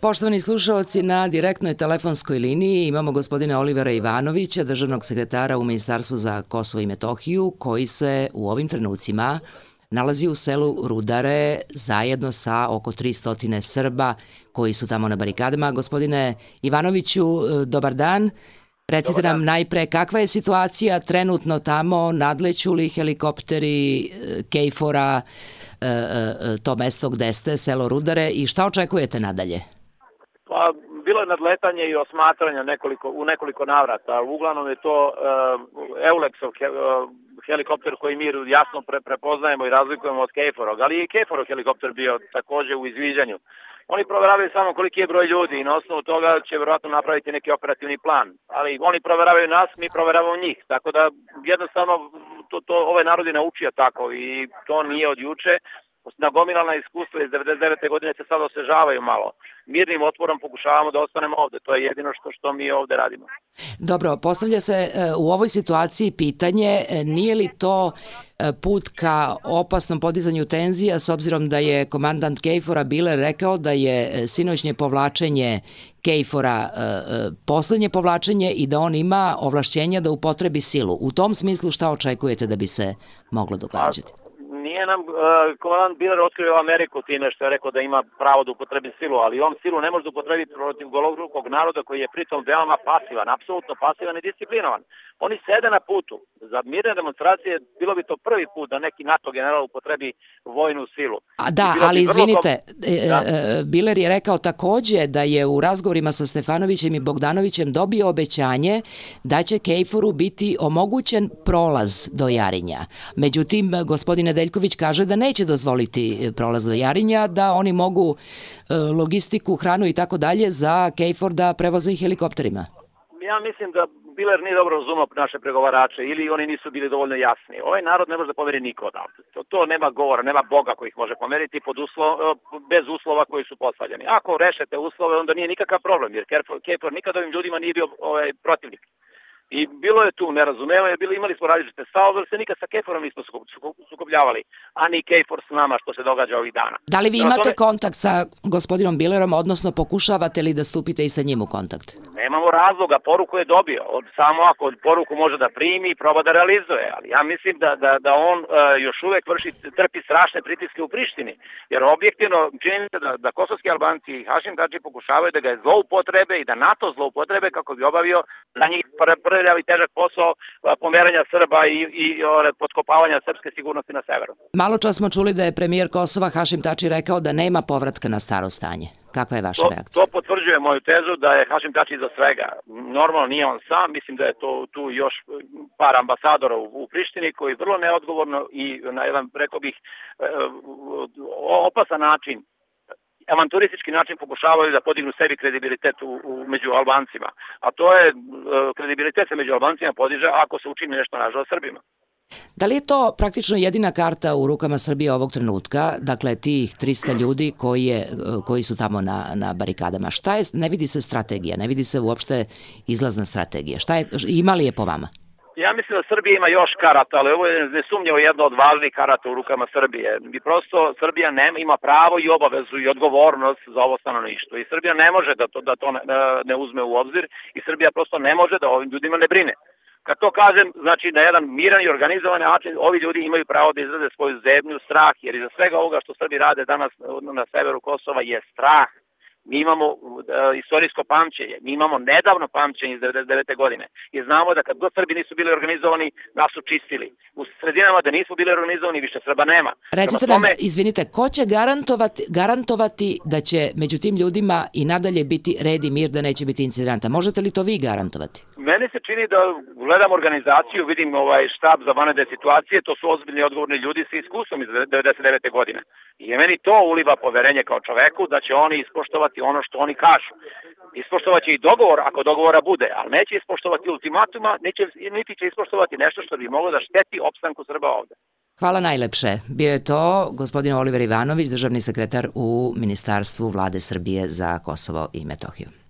Poštovani slušaoci, na direktnoj telefonskoj liniji imamo gospodina Olivera Ivanovića, državnog sekretara u Ministarstvu za Kosovo i Metohiju, koji se u ovim trenucima nalazi u selu Rudare zajedno sa oko 300 Srba koji su tamo na barikadama. Gospodine Ivanoviću, dobar dan. Recite nam najpre kakva je situacija trenutno tamo, nadleću li helikopteri KFOR-a to mesto gde ste, selo Rudare, i šta očekujete nadalje? Pa, bilo je nadletanje i osmatranja u nekoliko navrata. Uglavnom je to Eulexov helikopter koji mi jasno prepoznajemo i razlikujemo od KFOR-og, ali i KFOR-ov helikopter bio takođe u izviđanju. Oni proveravaju samo koliki je broj ljudi i na osnovu toga će verovatno napraviti neki operativni plan. Ali oni proveravaju nas, mi proveravamo njih. Tako da jednostavno ovaj narod je naučio tako i to nije od juče. Nagomilana iskustva iz 99. godine se sad osvežavaju malo. Mirnim otporom pokušavamo da ostanemo ovde. To je jedino što mi ovde radimo. Dobro, postavlja se u ovoj situaciji pitanje, nije li to put ka opasnom podizanju tenzija, s obzirom da je komandant KFOR-a Biler rekao da je sinoćnje povlačenje KFOR-a poslednje povlačenje i da on ima ovlašćenja da upotrebi silu. U tom smislu šta očekujete da bi se moglo događati? Nije nam komandant Biler otkrio Ameriku time što je rekao da ima pravo da upotrebi silu, ali on silu ne može da upotrebi protiv golorukog naroda koji je pritom veoma pasivan, apsolutno pasivan i disciplinovan. Oni sede na putu. Za mirne demonstracije bilo bi to prvi put da neki NATO general upotrebi vojnu silu. Ali izvinite, Biler je rekao takođe da je u razgovorima sa Stefanovićem i Bogdanovićem dobio obećanje da će KFOR-u biti omogućen prolaz do Jarinja. Međutim, gospodin Nedeljković kaže da neće dozvoliti prolaz do Jarinja, da oni mogu logistiku, hranu i tako dalje za KFOR da prevoze i helikopterima. Ja mislim da Biler nije dobro razumao naše pregovarače ili oni nisu bili dovoljno jasni. Ovaj narod ne može da pomeri niko odavde. To nema govora, nema Boga koji ih može pomeriti bez uslova koji su postavljeni. Ako rešete uslove, onda nije nikakav problem, jer KFOR nikad ovim ljudima nije bio protivnik. I bilo je tu nerazumevanje, imali smo različite stavove, ali se nikad sa KFOR-om nismo sukobljavali, a ni KFOR s nama što se događa ovih dana. Da li vi imate kontakt sa gospodinom Bilerom, odnosno pokušavate li da stupite i sa njim u kontakt? Nemamo razloga, poruku je dobio. Samo ako poruku može da primi i proba da realizuje, ali ja mislim da on još uvek trpi strašne pritiske u Prištini, jer objektivno čini se da kosovski Albanci i Hašim Tači pokušavaju da ga zloupotrebe i da NATO zloupotrebe kako bi obavio za njih prljav i težak posao pomeranja Srba i potkopavanja srpske sigurnosti na severu. Malo čas smo čuli da je premijer Kosova Hašim Tači rekao da nema povratka na staro stanje. Kakva je vaša reakcija? To potvrđuje moju tezu da je Hašim Tači iza svega. Normalno nije on sam, mislim da je tu još par ambasadora u Prištini koji vrlo neodgovorno i na jedan, rekao bih, opasan način, avanturistički način pokušavaju da podignu sebi kredibilitet među Albancima. A to je, kredibilitet se među Albancima podiže ako se učini nešto nažalost Srbima. Da li je to praktično jedina karta u rukama Srbije ovog trenutka, dakle tih 300 ljudi koji su tamo na barikadama? Ne vidi se strategija, ne vidi se uopšte izlazna strategija. Ima li je po vama? Ja mislim da Srbija ima još karata, ali ovo je nesumnjivo jedno od važnih karata u rukama Srbije. I prosto Srbija ima pravo i obavezu i odgovornost za ovo stanovništvo. I Srbija ne može da to ne uzme u obzir i Srbija prosto ne može da ovim ljudima ne brine. Kad to kažem, znači na jedan miran i organizovan način ovi ljudi imaju pravo da izraze svoju zemlju, strah, jer iza svega ovoga što Srbi rade danas na severu Kosova je strah. Mi imamo istorijsko pamćenje, mi imamo nedavno pamćenje iz 99. godine i znamo da kad god Srbi nisu bili organizovani, nas su čistili. U sredinama da nismo bili organizovani, više Srba nema. Recite nam, izvinite, ko će garantovati da će među tim ljudima i nadalje biti red i mir, da neće biti incidenta? Možete li to vi garantovati? Meni se čini da gledam organizaciju, vidim štab za vanredne situacije, to su ozbiljni odgovorni ljudi sa iskustvom iz 99. godine. I meni to uliva poverenje kao čoveku da će oni ispoštovati ono što oni kažu. Ispoštovaće i dogovor ako dogovora bude, ali neće ispoštovati ultimatuma, niti će ispoštovati nešto što bi moglo da šteti opstanku Srba ovde. Hvala najlepše. Bio je to gospodin Oliver Ivanović, državni sekretar u Ministarstvu Vlade Srbije za Kosovo i Metohiju.